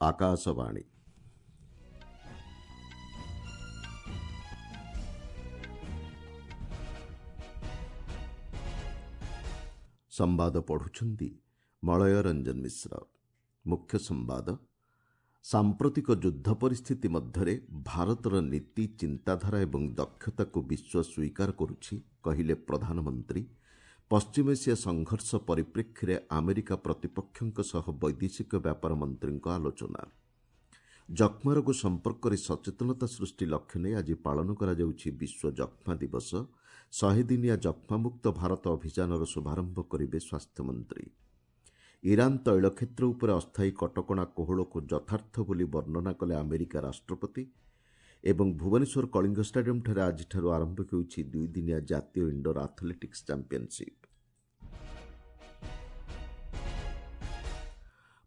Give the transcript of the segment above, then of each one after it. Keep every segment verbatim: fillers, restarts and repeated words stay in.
ଆକାଶବାଣୀ। ସମ୍ବାଦ ପଢ଼ୁଛନ୍ତି ମଳୟ ରଞ୍ଜନ ମିଶ୍ର। ମୁଖ୍ୟ ସମ୍ବାଦ। ସାମ୍ପ୍ରତିକ ଯୁଦ୍ଧ ପରିସ୍ଥିତି ମଧ୍ୟରେ ଭାରତର ନୀତି, ଚିନ୍ତାଧାରା ଏବଂ ଦକ୍ଷତାକୁ ବିଶ୍ୱ ସ୍ୱୀକାର କରୁଛି, କହିଲେ ପ୍ରଧାନମନ୍ତ୍ରୀ। ପଶ୍ଚିମ ଏସିଆ ସଂଘର୍ଷ ପରିପ୍ରେକ୍ଷୀରେ ଆମେରିକା ପ୍ରତିପକ୍ଷଙ୍କ ସହ ବୈଦେଶିକ ବ୍ୟାପାର ମନ୍ତ୍ରୀଙ୍କ ଆଲୋଚନା। ଯକ୍ଷ୍ମା ରୋଗ ସମ୍ପର୍କରେ ସଚେତନତା ସୃଷ୍ଟି ଲକ୍ଷ୍ୟ ନେଇ ଆଜି ପାଳନ କରାଯାଉଛି ବିଶ୍ୱ ଯକ୍ଷ୍ମା ଦିବସ। ଶହେ ଦିନିଆ ଯକ୍ଷ୍ମାମୁକ୍ତ ଭାରତ ଅଭିଯାନର ଶୁଭାରମ୍ଭ କରିବେ ସ୍ୱାସ୍ଥ୍ୟମନ୍ତ୍ରୀ। ଇରାନ ତୈଳ କ୍ଷେତ୍ର ଉପରେ ଅସ୍ଥାୟୀ କଟକଣା କୋହଳକୁ ଯଥାର୍ଥ ବୋଲି ବର୍ଣ୍ଣନା କଲେ ଆମେରିକା ରାଷ୍ଟ୍ରପତି। ଏବଂ ଭୁବନେଶ୍ୱର କଳିଙ୍ଗ ଷ୍ଟାଡିୟମ୍ଠାରେ ଆଜିଠାରୁ ଆରମ୍ଭ ହେଉଛି ଦୁଇଦିନିଆ ଜାତୀୟ ଇଣ୍ଡୋର ଆଥଲେଟିକ୍ସ ଚାମ୍ପିୟନସିପ୍।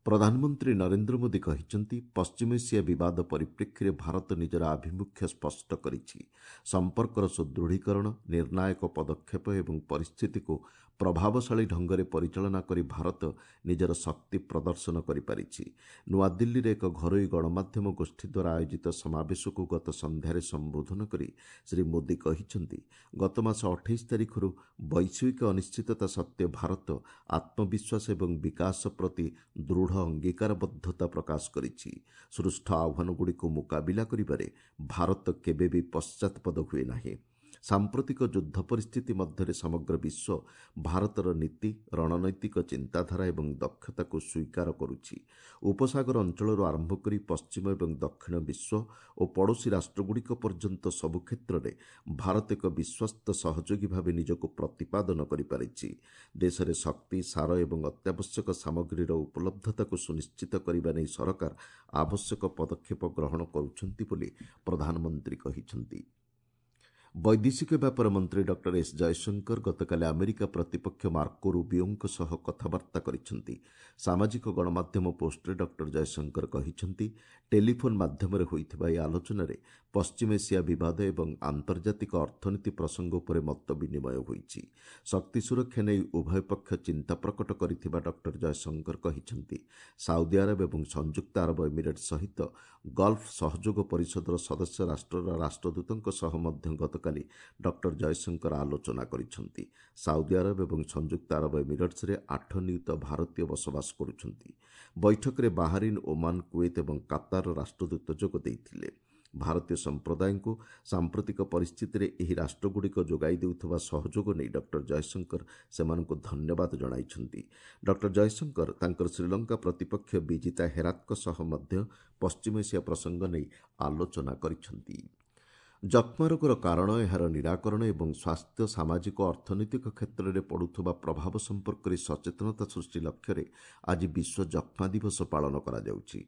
ପ୍ରଧାନମନ୍ତ୍ରୀ ନରେନ୍ଦ୍ର ମୋଦି କହିଛନ୍ତି, ପଶ୍ଚିମ ଏସିଆ ବିବାଦ ପରିପ୍ରେକ୍ଷୀରେ ଭାରତ ନିଜର ଆଭିମୁଖ୍ୟ ସ୍ପଷ୍ଟ କରିଛି। ସମ୍ପର୍କର ସୁଦୃଢ଼ୀକରଣ, ନିର୍ଣ୍ଣାୟକ ପଦକ୍ଷେପ ଏବଂ ପରିସ୍ଥିତିକୁ ପ୍ରଭାବଶାଳୀ ଢଙ୍ଗରେ ପରିଚାଳନା କରି ଭାରତ ନିଜର ଶକ୍ତି ପ୍ରଦର୍ଶନ କରିପାରିଛି। ନୂଆଦିଲ୍ଲୀରେ ଏକ ଘରୋଇ ଗଣମାଧ୍ୟମ ଗୋଷ୍ଠୀ ଦ୍ୱାରା ଆୟୋଜିତ ସମାବେଶକୁ ଗତ ସନ୍ଧ୍ୟାରେ ସମ୍ବୋଧନ କରି ଶ୍ରୀ ମୋଦି କହିଛନ୍ତି, ଗତମାସ ଅଠେଇଶ ତାରିଖରୁ ବୈଶ୍ୱିକ ଅନିଶ୍ଚିତତା ସତ୍ତ୍ୱେ ଭାରତ ଆତ୍ମବିଶ୍ୱାସ ଏବଂ ବିକାଶ ପ୍ରତି ଦୃଢ଼ ଅଙ୍ଗୀକାରବଦ୍ଧତା ପ୍ରକାଶ କରିଛି। ସୃଷ୍ଟ ଆହ୍ୱାନଗୁଡ଼ିକୁ ମୁକାବିଲା କରିବାରେ ଭାରତ କେବେ ବି ପଶ୍ଚାତପଦ ହୁଏ ନାହିଁ। ସାମ୍ପ୍ରତିକ ଯୁଦ୍ଧ ପରିସ୍ଥିତି ମଧ୍ୟରେ ସମଗ୍ର ବିଶ୍ୱ ଭାରତର ନୀତି, ରଣନୈତିକ ଚିନ୍ତାଧାରା ଏବଂ ଦକ୍ଷତାକୁ ସ୍ୱୀକାର କରୁଛି। ଉପସାଗର ଅଞ୍ଚଳରୁ ଆରମ୍ଭ କରି ପଶ୍ଚିମ ଏବଂ ଦକ୍ଷିଣ ବିଶ୍ୱ ଓ ପଡ଼ୋଶୀ ରାଷ୍ଟ୍ରଗୁଡ଼ିକ ପର୍ଯ୍ୟନ୍ତ ସବୁ କ୍ଷେତ୍ରରେ ଭାରତ ଏକ ବିଶ୍ୱସ୍ତ ସହଯୋଗୀ ଭାବେ ନିଜକୁ ପ୍ରତିପାଦନ କରିପାରିଛି। ଦେଶରେ ଶକ୍ତି, ସାର ଏବଂ ଅତ୍ୟାବଶ୍ୟକ ସାମଗ୍ରୀର ଉପଲବ୍ଧତାକୁ ସୁନିଶ୍ଚିତ କରିବା ନେଇ ସରକାର ଆବଶ୍ୟକ ପଦକ୍ଷେପ ଗ୍ରହଣ କରୁଛନ୍ତି ବୋଲି ପ୍ରଧାନମନ୍ତ୍ରୀ କହିଛନ୍ତି। ବୈଦେଶିକ ବ୍ୟାପାର ମନ୍ତ୍ରୀ ଡକ୍ଟର ଏସ୍ ଜୟଶଙ୍କର ଗତକାଲି ଆମେରିକା ପ୍ରତିପକ୍ଷ ମାର୍କୋ ରୁବିଓଙ୍କ ସହ କଥାବାର୍ତ୍ତା କରିଛନ୍ତି। ସାମାଜିକ ଗଣମାଧ୍ୟମ ପୋଷ୍ଟରେ ଡକ୍ଟର ଜୟଶଙ୍କର କହିଛନ୍ତି, ଟେଲିଫୋନ୍ ମାଧ୍ୟମରେ ହୋଇଥିବା ଏହି ଆଲୋଚନାରେ ପଶ୍ଚିମ ଏସିଆ ବିବାଦ ଏବଂ ଆନ୍ତର୍ଜାତିକ ଅର୍ଥନୀତି ପ୍ରସଙ୍ଗ ଉପରେ ମତ ବିନିମୟ ହୋଇଛି। ଶକ୍ତି ସୁରକ୍ଷା ନେଇ ଉଭୟ ପକ୍ଷ ଚିନ୍ତା ପ୍ରକଟ କରିଥିବା ଡକ୍ଟର ଜୟଶଙ୍କର କହିଛନ୍ତି। ସାଉଦି ଆରବ ଏବଂ ସଂଯୁକ୍ତ ଆରବ ଏମିରେଟ୍ସ ସହିତ ଗଲ୍ଫ ସହଯୋଗ ପରିଷଦର ସଦସ୍ୟ ରାଷ୍ଟ୍ରର ରାଷ୍ଟ୍ରଦୂତଙ୍କ ସହ ମଧ୍ୟ ଗତକାଲି ଡକ୍ଟର ଜୟଶଙ୍କର ଆଲୋଚନା କରିଛନ୍ତି। ସାଉଦି ଆରବ ଏବଂ ସଂଯୁକ୍ତ ଆରବ ଏମିରେଟ୍ସରେ ଆଠ ନିୟୁତ ଭାରତୀୟ ବସବାସ କରୁଛନ୍ତି। ବୈଠକରେ ବାହାରିନ୍, ଓମାନ, କୁଏତ ଏବଂ କାତାରର ରାଷ୍ଟ୍ରଦୂତ ଯୋଗ ଦେଇଥିଲେ। ଭାରତୀୟ ସମ୍ପ୍ରଦାୟଙ୍କୁ ସାମ୍ପ୍ରତିକ ପରିସ୍ଥିତିରେ ଏହି ରାଷ୍ଟ୍ରଗୁଡ଼ିକ ଯୋଗାଇ ଦେଉଥିବା ସହଯୋଗ ନେଇ ଡକ୍ଟର ଜୟଶଙ୍କର ସେମାନଙ୍କୁ ଧନ୍ୟବାଦ ଜଣାଇଛନ୍ତି। ଡକ୍ଟର ଜୟଶଙ୍କର ତାଙ୍କର ଶ୍ରୀଲଙ୍କା ପ୍ରତିପକ୍ଷ ବିଜିତା ହେରାତଙ୍କ ସହ ମଧ୍ୟ ପଶ୍ଚିମ ଏସିଆ ପ୍ରସଙ୍ଗ ନେଇ ଆଲୋଚନା କରିଛନ୍ତି। ଯକ୍ଷ୍ମା ରୋଗର କାରଣ, ଏହାର ନିରାକରଣ ଏବଂ ସ୍ୱାସ୍ଥ୍ୟ, ସାମାଜିକ ଓ ଅର୍ଥନୈତିକ କ୍ଷେତ୍ରରେ ପଡ଼ୁଥିବା ପ୍ରଭାବ ସମ୍ପର୍କରେ ସଚେତନତା ସୃଷ୍ଟି ଲକ୍ଷ୍ୟରେ ଆଜି ବିଶ୍ୱ ଯକ୍ଷ୍ମା ଦିବସ ପାଳନ କରାଯାଉଛି।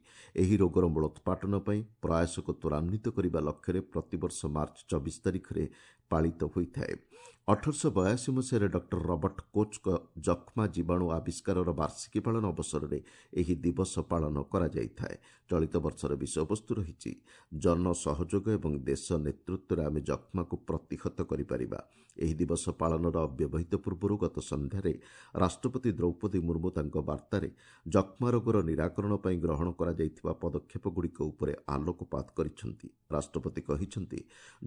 ଏହି ରୋଗର ମୂଳୋତ୍ପାଟନ ପାଇଁ ପ୍ରୟାସକୁ ତ୍ୱରାନ୍ୱିତ କରିବା ଲକ୍ଷ୍ୟରେ ପ୍ରତିବର୍ଷ ମାର୍ଚ୍ଚ ଚବିଶ ତାରିଖରେ ପାଳିତ ହୋଇଥାଏ। ଅଠରଶହ ବୟାଅଶୀ ମସିହାରେ ଡକ୍ଟର ରବର୍ଟ କୋଚ୍ଙ୍କ ଯକ୍ଷ୍ମା ଜୀବାଣୁ ଆବିଷ୍କାରର ବାର୍ଷିକୀ ପାଳନ ଅବସରରେ ଏହି ଦିବସ ପାଳନ କରାଯାଇଥାଏ। ଚଳିତ ବର୍ଷର ବିଷୟବସ୍ତୁ ରହିଛି ଜନ ସହଯୋଗ ଏବଂ ଦେଶ ନେତୃତ୍ୱରେ ଆମେ ଯକ୍ଷ୍ମାକୁ ପ୍ରତିହତ କରିପାରିବା। ଏହି ଦିବସ ପାଳନର ଅବ୍ୟବହିତ ପୂର୍ବରୁ ଗତ ସନ୍ଧ୍ୟାରେ ରାଷ୍ଟ୍ରପତି ଦ୍ରୌପଦୀ ମୁର୍ମୁ ତାଙ୍କ ବାର୍ତ୍ତାରେ ଯକ୍ଷ୍ମା ରୋଗର ନିରାକରଣ ପାଇଁ ଗ୍ରହଣ କରାଯାଇଥିବା ପଦକ୍ଷେପଗୁଡ଼ିକ ଉପରେ ଆଲୋକପାତ କରିଛନ୍ତି। ରାଷ୍ଟ୍ରପତି କହିଛନ୍ତି,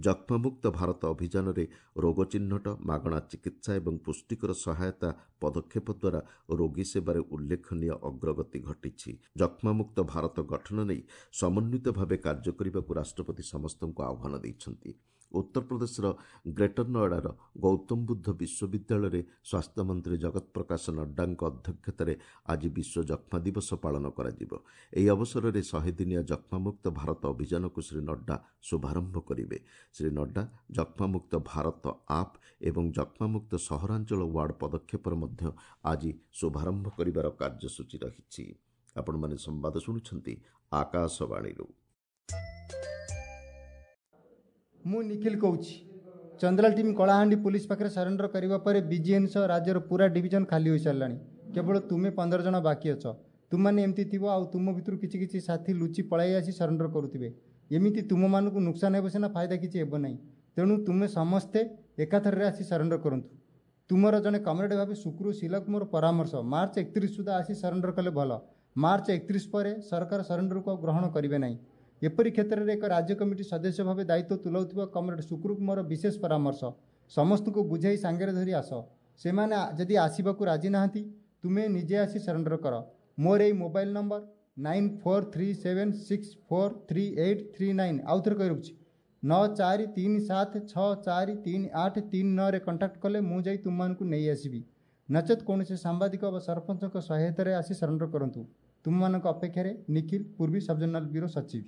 ଯକ୍ଷ୍ମାମୁକ୍ତ ଭାରତ ଅଭିଯାନରେ ରୋଗ ଚିହ୍ନଟ, ମାଗଣା ଚିକିତ୍ସା ଏବଂ ପୁଷ୍ଟିକର ସହାୟତା ପଦକ୍ଷେପ ଦ୍ୱାରା ରୋଗୀ ସେବାରେ ଉଲ୍ଲେଖନୀୟ ଅଗ୍ରଗତି ଘଟିଛି। ଯକ୍ଷ୍ମାମୁକ୍ତ ଭାରତ ଗଠନ ନେଇ ସମନ୍ୱିତ ଭାବେ କାର୍ଯ୍ୟ କରିବାକୁ ରାଷ୍ଟ୍ରପତି ସମସ୍ତଙ୍କୁ ଆହ୍ୱାନ ଦେଇଛନ୍ତି। ଉତ୍ତରପ୍ରଦେଶର ଗ୍ରେଟର ନୋଏଡାର ଗୌତମ ବୁଦ୍ଧ ବିଶ୍ୱବିଦ୍ୟାଳୟରେ ସ୍ୱାସ୍ଥ୍ୟମନ୍ତ୍ରୀ ଜଗତ ପ୍ରକାଶ ନଡ୍ଡାଙ୍କ ଅଧ୍ୟକ୍ଷତାରେ ଆଜି ବିଶ୍ୱ ଯକ୍ଷ୍ମା ଦିବସ ପାଳନ କରାଯିବ। ଏହି ଅବସରରେ ଶହେ ଦିନିଆ ଯକ୍ଷ୍ମାମୁକ୍ତ ଭାରତ ଅଭିଯାନକୁ ଶ୍ରୀ ନଡ୍ଡା ଶୁଭାରମ୍ଭ କରିବେ। ଶ୍ରୀ ନଡ୍ଡା ଯକ୍ଷ୍ମାମୁକ୍ତ ଭାରତ ଆପ୍ ଏବଂ ଯକ୍ଷ୍ମାମୁକ୍ତ ସହରାଞ୍ଚଳ ୱାର୍ଡ ପଦକ୍ଷେପର ମଧ୍ୟ ଆଜି ଶୁଭାରମ୍ଭ କରିବାର କାର୍ଯ୍ୟସୂଚୀ ରହିଛି। ଆପଣମାନେ ସମ୍ବାଦ ଶୁଣୁଛନ୍ତି ଆକାଶବାଣୀରୁ। ମୁଁ ନିଖିଲ କହୁଛି। ଚନ୍ଦ୍ରାଲ ଟିମ୍ କଳାହାଣ୍ଡି ପୋଲିସ ପାଖରେ ସରେଣ୍ଡର କରିବା ପରେ ବିଜିଏନ୍ ସହ ରାଜ୍ୟର ପୁରା ଡିଭିଜନ ଖାଲି ହୋଇସାରିଲାଣି। କେବଳ ତୁମେ ପନ୍ଦର ଜଣ ବାକି ଅଛ। ତୁମମାନେ ଏମିତି ଥିବ ଆଉ ତୁମ ଭିତରୁ କିଛି କିଛି ସାଥୀ ଲୁଚି ପଳାଇ ଆସି ସରେଣ୍ଡର କରୁଥିବେ। ଏମିତି ତୁମମାନଙ୍କୁ ନୁକସାନ ହେବ ସିନା, ଫାଇଦା କିଛି ହେବ ନାହିଁ। ତେଣୁ ତୁମେ ସମସ୍ତେ ଏକାଥରରେ ଆସି ସରେଣ୍ଡର କରନ୍ତୁ। ତୁମର ଜଣେ କମ୍ରେଡ଼ ଭାବେ ଶୁକ୍ରୁ ଶିଲାକୁ ମୋର ପରାମର୍ଶ, ମାର୍ଚ୍ଚ ଏକତିରିଶ ସୁଦ୍ଧା ଆସି ସରେଣ୍ଡର କଲେ ଭଲ। ମାର୍ଚ୍ଚ ଏକତିରିଶ ପରେ ସରକାର ସରେଣ୍ଡରକୁ ଆଉ ଗ୍ରହଣ କରିବେ ନାହିଁ। ଏପରି କ୍ଷେତ୍ରରେ ଏକ ରାଜ୍ୟ କମିଟି ସଦସ୍ୟ ଭାବେ ଦାୟିତ୍ୱ ତୁଲାଉଥିବା କମ୍ରେଡ୍ ସୁକ୍ରୁକୁ ମୋର ବିଶେଷ ପରାମର୍ଶ, ସମସ୍ତଙ୍କୁ ବୁଝାଇ ସାଙ୍ଗରେ ଧରି ଆସ। ସେମାନେ ଯଦି ଆସିବାକୁ ରାଜି ନାହାନ୍ତି, ତୁମେ ନିଜେ ଆସି ସରେଣ୍ଡର କର। ମୋର ଏଇ mobile number nine four three seven six four three eight three nine, ଆଉ ଥରେ କହି ରଖୁଛି, ନଅ ଚାରି ତିନି ସାତ ଛଅ ଚାରି ତିନି ଆଠ ତିନି ନଅରେ କଣ୍ଟାକ୍ଟ କଲେ ମୁଁ ଯାଇ ତୁମମାନଙ୍କୁ ନେଇ ଆସିବି। ନଚେତ୍ କୌଣସି ସାମ୍ବାଦିକ ବା ସରପଞ୍ଚଙ୍କ ସହାୟତାରେ ଆସି ସରେଣ୍ଡର କରନ୍ତୁ। ତୁମମାନଙ୍କ ଅପେକ୍ଷାରେ ନିଖିଲ, ପୂର୍ବୀ ସବଜୋନାଲ ବ୍ୟୁରୋ ସଚିବ।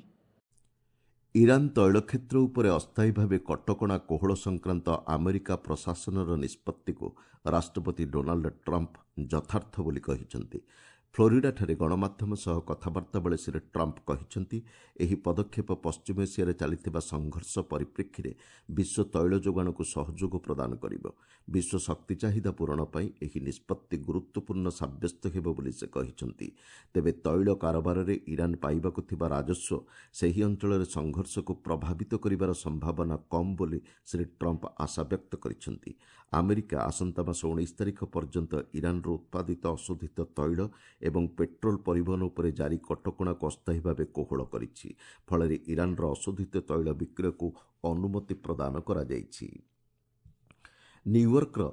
ଇରାନ୍ ତୈଳ କ୍ଷେତ୍ର ଉପରେ ଅସ୍ଥାୟୀ ଭାବେ କଟକଣା କୋହଳ ସଂକ୍ରାନ୍ତ ଆମେରିକା ପ୍ରଶାସନର ନିଷ୍ପତ୍ତିକୁ ରାଷ୍ଟ୍ରପତି ଡୋନାଲ୍ଡ ଟ୍ରମ୍ପ ଯଥାର୍ଥ ବୋଲି କହିଛନ୍ତି। ଫ୍ଲୋରିଡାଠାରେ ଗଣମାଧ୍ୟମ ସହ କଥାବାର୍ତ୍ତା ବେଳେ ଶ୍ରୀ ଟ୍ରମ୍ପ କହିଛନ୍ତି, ଏହି ପଦକ୍ଷେପ ପଶ୍ଚିମ ଏସିଆରେ ଚାଲିଥିବା ସଂଘର୍ଷ ପରିପ୍ରେକ୍ଷୀରେ ବିଶ୍ୱ ତୈଳ ଯୋଗାଣକୁ ସହଯୋଗ ପ୍ରଦାନ କରିବ। ବିଶ୍ୱ ଶକ୍ତି ଚାହିଦା ପୂରଣ ପାଇଁ ଏହି ନିଷ୍ପତ୍ତି ଗୁରୁତ୍ୱପୂର୍ଣ୍ଣ ସାବ୍ୟସ୍ତ ହେବ ବୋଲି ସେ କହିଛନ୍ତି। ତେବେ ତୈଳ କାରବାରରେ ଇରାନ୍ ପାଇବାକୁ ଥିବା ରାଜସ୍ୱ ସେହି ଅଞ୍ଚଳରେ ସଂଘର୍ଷକୁ ପ୍ରଭାବିତ କରିବାର ସମ୍ଭାବନା କମ୍ ବୋଲି ଶ୍ରୀ ଟ୍ରମ୍ପ ଆଶା ବ୍ୟକ୍ତ କରିଛନ୍ତି। ଆମେରିକା ଆସନ୍ତା ମାସ ଉଣେଇଶ ତାରିଖ ପର୍ଯ୍ୟନ୍ତ ଇରାନ୍ରୁ ଉତ୍ପାଦିତ ଅଶୋଧିତ ତୈଳ ଏବଂ ପେଟ୍ରୋଲ ପରିବହନ ଉପରେ ଜାରି କଟକଣାକୁ ଅସ୍ଥାୟୀ ଭାବେ କୋହଳ କରିଛି। ଫଳରେ ଇରାନ୍ର ଅଶୋଧିତ ତୈଳ ବିକ୍ରୟକୁ ଅନୁମତି ପ୍ରଦାନ କରାଯାଇଛି। ନ୍ୟୁୟର୍କର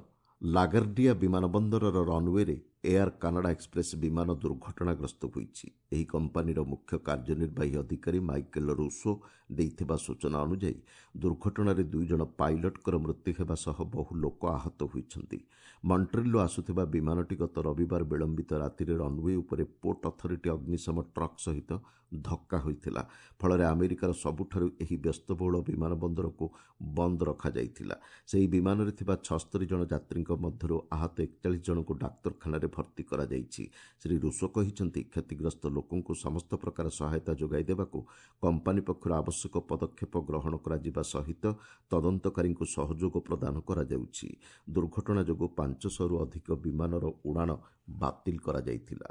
ଲାଗାର୍ଡିଆ ବିମାନବନ୍ଦରର ରନ୍ୱେରେ ଏୟାର କାନାଡା ଏକ୍ସପ୍ରେସ୍ ବିମାନ ଦୁର୍ଘଟଣାଗ୍ରସ୍ତ ହୋଇଛି। ଏହି କମ୍ପାନୀର ମୁଖ୍ୟ କାର୍ଯ୍ୟନିର୍ବାହୀ ଅଧିକାରୀ ମାଇକେଲ ରୁସୋ ଦେଇଥିବା ସୂଚନା ଅନୁଯାୟୀ ଦୁର୍ଘଟଣାରେ ଦୁଇ ଜଣ ପାଇଲଟଙ୍କର ମୃତ୍ୟୁ ହେବା ସହ ବହୁ ଲୋକ ଆହତ ହୋଇଛନ୍ତି। ମଣ୍ଟ୍ରିଲରୁ ଆସୁଥିବା ବିମାନଟି ଗତ ରବିବାର ବିଳମ୍ବିତ ରାତିରେ ରନ୍ୱେ ଉପରେ ପୋର୍ଟ ଅଥରିଟି ଅଗ୍ନିଶମ ଟ୍ରକ୍ ସହିତ ଧକ୍କା ହୋଇଥିଲା। ଫଳରେ ଆମେରିକାର ସବୁଠାରୁ ଏହି ବ୍ୟସ୍ତବହୁଳ ବିମାନବନ୍ଦରକୁ ବନ୍ଦ ରଖାଯାଇଥିଲା। ସେହି ବିମାନରେ ଥିବା ଛସ୍ତରୀ ଜଣ ଯାତ୍ରୀଙ୍କ ମଧ୍ୟରୁ ଆହତ ଏକଚାଳିଶ ଜଣଙ୍କୁ ଡାକ୍ତରଖାନାରେ ଭର୍ତ୍ତି କରାଯାଇଛି। ଶ୍ରୀ ରୁଷୋ କହିଛନ୍ତି, କ୍ଷତିଗ୍ରସ୍ତ ଲୋକଙ୍କୁ ସମସ୍ତ ପ୍ରକାର ସହାୟତା ଯୋଗାଇ ଦେବାକୁ କମ୍ପାନୀ ପକ୍ଷରୁ ଆବଶ୍ୟକ ପଦକ୍ଷେପ ଗ୍ରହଣ କରାଯିବା ସହିତ ତଦନ୍ତକାରୀଙ୍କୁ ସହଯୋଗ ପ୍ରଦାନ କରାଯାଉଛି। ଦୁର୍ଘଟଣା ଯୋଗୁଁ ପାଞ୍ଚଶହରୁ ଅଧିକ ବିମାନର ଉଡ଼ାଣ ବାତିଲ କରାଯାଇଥିଲା।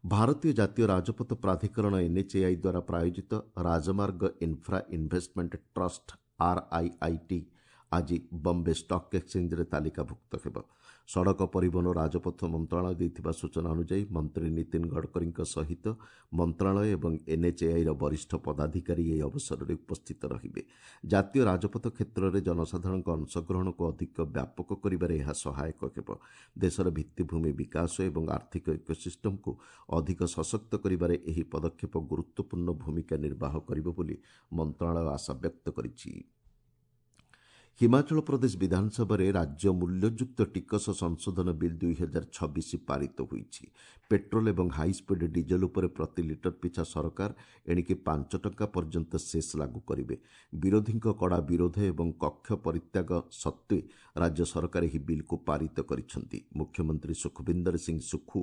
ଭାରତୀୟ ଜାତୀୟ ରାଜପଥ ପ୍ରାଧିକରଣ ଏନ୍ଏଚ୍ଏଆଇ ଦ୍ୱାରା ପ୍ରାୟୋଜିତ Rajmarg infra investment trust RIIT ଆଜି ବମ୍ବେ ଷ୍ଟକ୍ ଏକ୍ସଚେଞ୍ଜରେ ତାଲିକାଭୁକ୍ତ ହେବ। ସଡ଼କ ପରିବହନ ଓ ରାଜପଥ ମନ୍ତ୍ରଣାଳୟ ଦେଇଥିବା ସୂଚନା ଅନୁଯାୟୀ ମନ୍ତ୍ରୀ ନୀତିନ ଗଡ଼କରୀଙ୍କ ସହିତ ମନ୍ତ୍ରଣାଳୟ ଏବଂ ଏନ୍ଏଚ୍ଏଆଇର ବରିଷ୍ଠ ପଦାଧିକାରୀ ଏହି ଅବସରରେ ଉପସ୍ଥିତ ରହିବେ। ଜାତୀୟ ରାଜପଥ କ୍ଷେତ୍ରରେ ଜନସାଧାରଣଙ୍କ ଅଂଶଗ୍ରହଣକୁ ଅଧିକ ବ୍ୟାପକ କରିବାରେ ଏହା ସହାୟକ ହେବ। ଦେଶର ଭିତ୍ତିଭୂମି ବିକାଶ ଏବଂ ଆର୍ଥିକ ଇକୋସିଷ୍ଟମକୁ ଅଧିକ ସଶକ୍ତ କରିବାରେ ଏହି ପଦକ୍ଷେପ ଗୁରୁତ୍ୱପୂର୍ଣ୍ଣ ଭୂମିକା ନିର୍ବାହ କରିବ ବୋଲି ମନ୍ତ୍ରଣାଳୟ ଆଶା ବ୍ୟକ୍ତ କରିଛି। ହିମାଚଳ ପ୍ରଦେଶ ବିଧାନସଭାରେ ରାଜ୍ୟ ମୂଲ୍ୟଯୁକ୍ତ ଟିକସ ସଂଶୋଧନ ବିଲ୍ ଦୁଇ ହଜାର ଛବିଶ ପାରିତ ହୋଇଛି। ପେଟ୍ରୋଲ ଏବଂ ହାଇସ୍ପିଡ୍ ଡିଜେଲ ଉପରେ ପ୍ରତି ଲିଟର ପିଛା ସରକାର ଏଣିକି ପାଞ୍ଚ ଟଙ୍କା ପର୍ଯ୍ୟନ୍ତ ସେସ୍ ଲାଗୁ କରିବେ। ବିରୋଧୀଙ୍କ କଡ଼ା ବିରୋଧ ଏବଂ କକ୍ଷ ପରିତ୍ୟାଗ ସତ୍ତ୍ୱେ ରାଜ୍ୟ ସରକାର ଏହି ବିଲ୍କୁ ପାରିତ କରିଛନ୍ତି। ମୁଖ୍ୟମନ୍ତ୍ରୀ ସୁଖବିନ୍ଦର ସିଂ ସୁଖୁ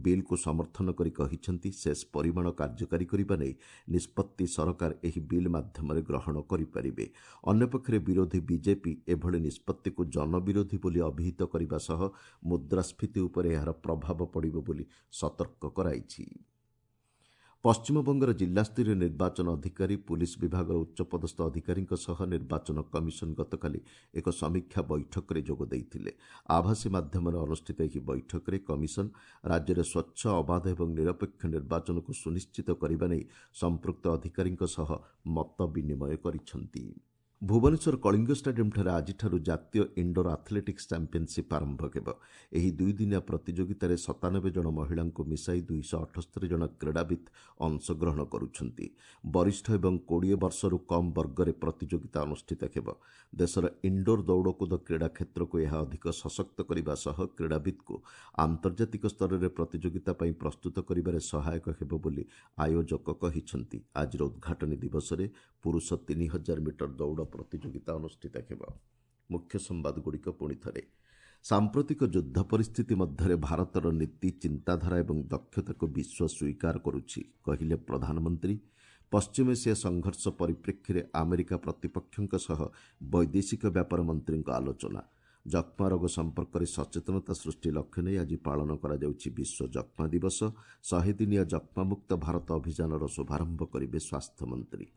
ବିଲ୍କୁ ସମର୍ଥନ କରି କହିଛନ୍ତି, ସେସ୍ ପରିମାଣ କାର୍ଯ୍ୟକାରୀ କରିବା ନେଇ ନିଷ୍ପତ୍ତି ସରକାର ଏହି ବିଲ୍ ମାଧ୍ୟମରେ ଗ୍ରହଣ କରିପାରିବେ। ଅନ୍ୟପକ୍ଷରେ ବିରୋଧୀ ବିଜେପି ଏଭଳି ନିଷ୍ପତ୍ତିକୁ ଜନବିରୋଧୀ ବୋଲି ଅଭିହିତ କରିବା ସହ ମୁଦ୍ରାସ୍ଫୀତି ଉପରେ ଏହାର ପ୍ରଭାବ ପଡ଼ିବ ବୋଲି ସତର୍କ କରାଇଛି। ପଶ୍ଚିମବଙ୍ଗର ଜିଲ୍ଲାସ୍ତରୀୟ ନିର୍ବାଚନ ଅଧିକାରୀ, ପୁଲିସ୍ ବିଭାଗର ଉଚ୍ଚପଦସ୍ଥ ଅଧିକାରୀଙ୍କ ସହ ନିର୍ବାଚନ କମିଶନ ଗତକାଲି ଏକ ସମୀକ୍ଷା ବୈଠକରେ ଯୋଗ ଦେଇଥିଲେ। ଆଭାସୀ ମାଧ୍ୟମରେ ଅନୁଷ୍ଠିତ ଏହି ବୈଠକରେ କମିଶନ ରାଜ୍ୟରେ ସ୍ୱଚ୍ଛ, ଅବାଧ ଏବଂ ନିରପେକ୍ଷ ନିର୍ବାଚନକୁ ସୁନିଶ୍ଚିତ କରିବା ନେଇ ସମ୍ପୃକ୍ତ ଅଧିକାରୀଙ୍କ ସହ ମତ ବିନିମୟ କରିଛନ୍ତି। ଭୁବନେଶ୍ୱର କଳିଙ୍ଗ ଷ୍ଟାଡିୟମ୍ଠାରେ ଆଜିଠାରୁ ଜାତୀୟ ଇଣ୍ଡୋର ଆଥଲେଟିକ୍ସ ଚାମ୍ପିୟନସିପ୍ ଆରମ୍ଭ ହେବ। ଏହି ଦୁଇଦିନିଆ ପ୍ରତିଯୋଗିତାରେ ସତାନବେ ଜଣ ମହିଳାଙ୍କୁ ମିଶାଇ ଦୁଇଶହ ଅଠସ୍ତରୀ ଜଣ କ୍ରୀଡ଼ାବିତ୍ ଅଂଶଗ୍ରହଣ କରୁଛନ୍ତି। ବରିଷ୍ଠ ଏବଂ କୋଡ଼ିଏ ବର୍ଷରୁ କମ୍ ବର୍ଗରେ ପ୍ରତିଯୋଗିତା ଅନୁଷ୍ଠିତ ହେବ। ଦେଶର ଇଣ୍ଡୋର ଦୌଡ଼କୁଦ କ୍ରୀଡ଼ା କ୍ଷେତ୍ରକୁ ଏହା ଅଧିକ ସଶକ୍ତ କରିବା ସହ କ୍ରୀଡ଼ାବିତ୍କୁ ଆନ୍ତର୍ଜାତିକ ସ୍ତରରେ ପ୍ରତିଯୋଗିତା ପାଇଁ ପ୍ରସ୍ତୁତ କରିବାରେ ସହାୟକ ହେବ ବୋଲି ଆୟୋଜକ କହିଛନ୍ତି। ଆଜିର ଉଦ୍ଘାଟନୀ ଦିବସରେ ପୁରୁଷ ତିନି ହଜାର ମିଟର ଦୌଡ଼ ପ୍ରତିଯୋଗିତା ଅନୁଷ୍ଠିତ ହେବ। ମୁଖ୍ୟ ସମ୍ବାଦଗୁଡ଼ିକ ପୁଣି ଥରେ। ସାମ୍ପ୍ରତିକ ଯୁଦ୍ଧ ପରିସ୍ଥିତି ମଧ୍ୟରେ ଭାରତର ନୀତି, ଚିନ୍ତାଧାରା ଏବଂ ଦକ୍ଷତାକୁ ବିଶ୍ୱ ସ୍ୱୀକାର କରୁଛି, କହିଲେ ପ୍ରଧାନମନ୍ତ୍ରୀ। ପଶ୍ଚିମ ଏସିଆ ସଂଘର୍ଷ ପରିପ୍ରେକ୍ଷୀରେ ଆମେରିକା ପ୍ରତିପକ୍ଷଙ୍କ ସହ ବୈଦେଶିକ ବ୍ୟାପାର ମନ୍ତ୍ରୀଙ୍କ ଆଲୋଚନା। ଯକ୍ଷ୍ମା ରୋଗ ସମ୍ପର୍କରେ ସଚେତନତା ସୃଷ୍ଟି ଲକ୍ଷ୍ୟ ନେଇ ଆଜି ପାଳନ କରାଯାଉଛି ବିଶ୍ୱ ଯକ୍ଷ୍ମା ଦିବସ। ଶହେ ଦିନିଆ ଯକ୍ଷ୍ମାମୁକ୍ତ ଭାରତ ଅଭିଯାନର ଶୁଭାରମ୍ଭ କରିବେ ସ୍ୱାସ୍ଥ୍ୟମନ୍ତ୍ରୀ।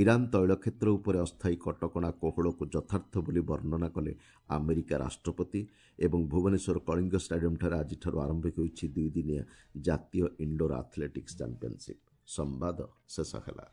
ଇରାନ୍ ତୈଳ କ୍ଷେତ୍ର ଉପରେ ଅସ୍ଥାୟୀ କଟକଣା କୋହଳକୁ ଯଥାର୍ଥ ବୋଲି ବର୍ଣ୍ଣନା କଲେ ଆମେରିକା ରାଷ୍ଟ୍ରପତି ଏବଂ ଭୁବନେଶ୍ୱର କଳିଙ୍ଗ ଷ୍ଟାଡିୟମ୍ଠାରେ ଆଜିଠାରୁ ଆରମ୍ଭ ହେଉଛି ଦୁଇଦିନିଆ ଜାତୀୟ ଇନ୍ଡୋର୍ ଆଥଲେଟିକ୍ସ ଚାମ୍ପିୟନସିପ୍। ସମ୍ବାଦ ଶେଷ ହେଲା।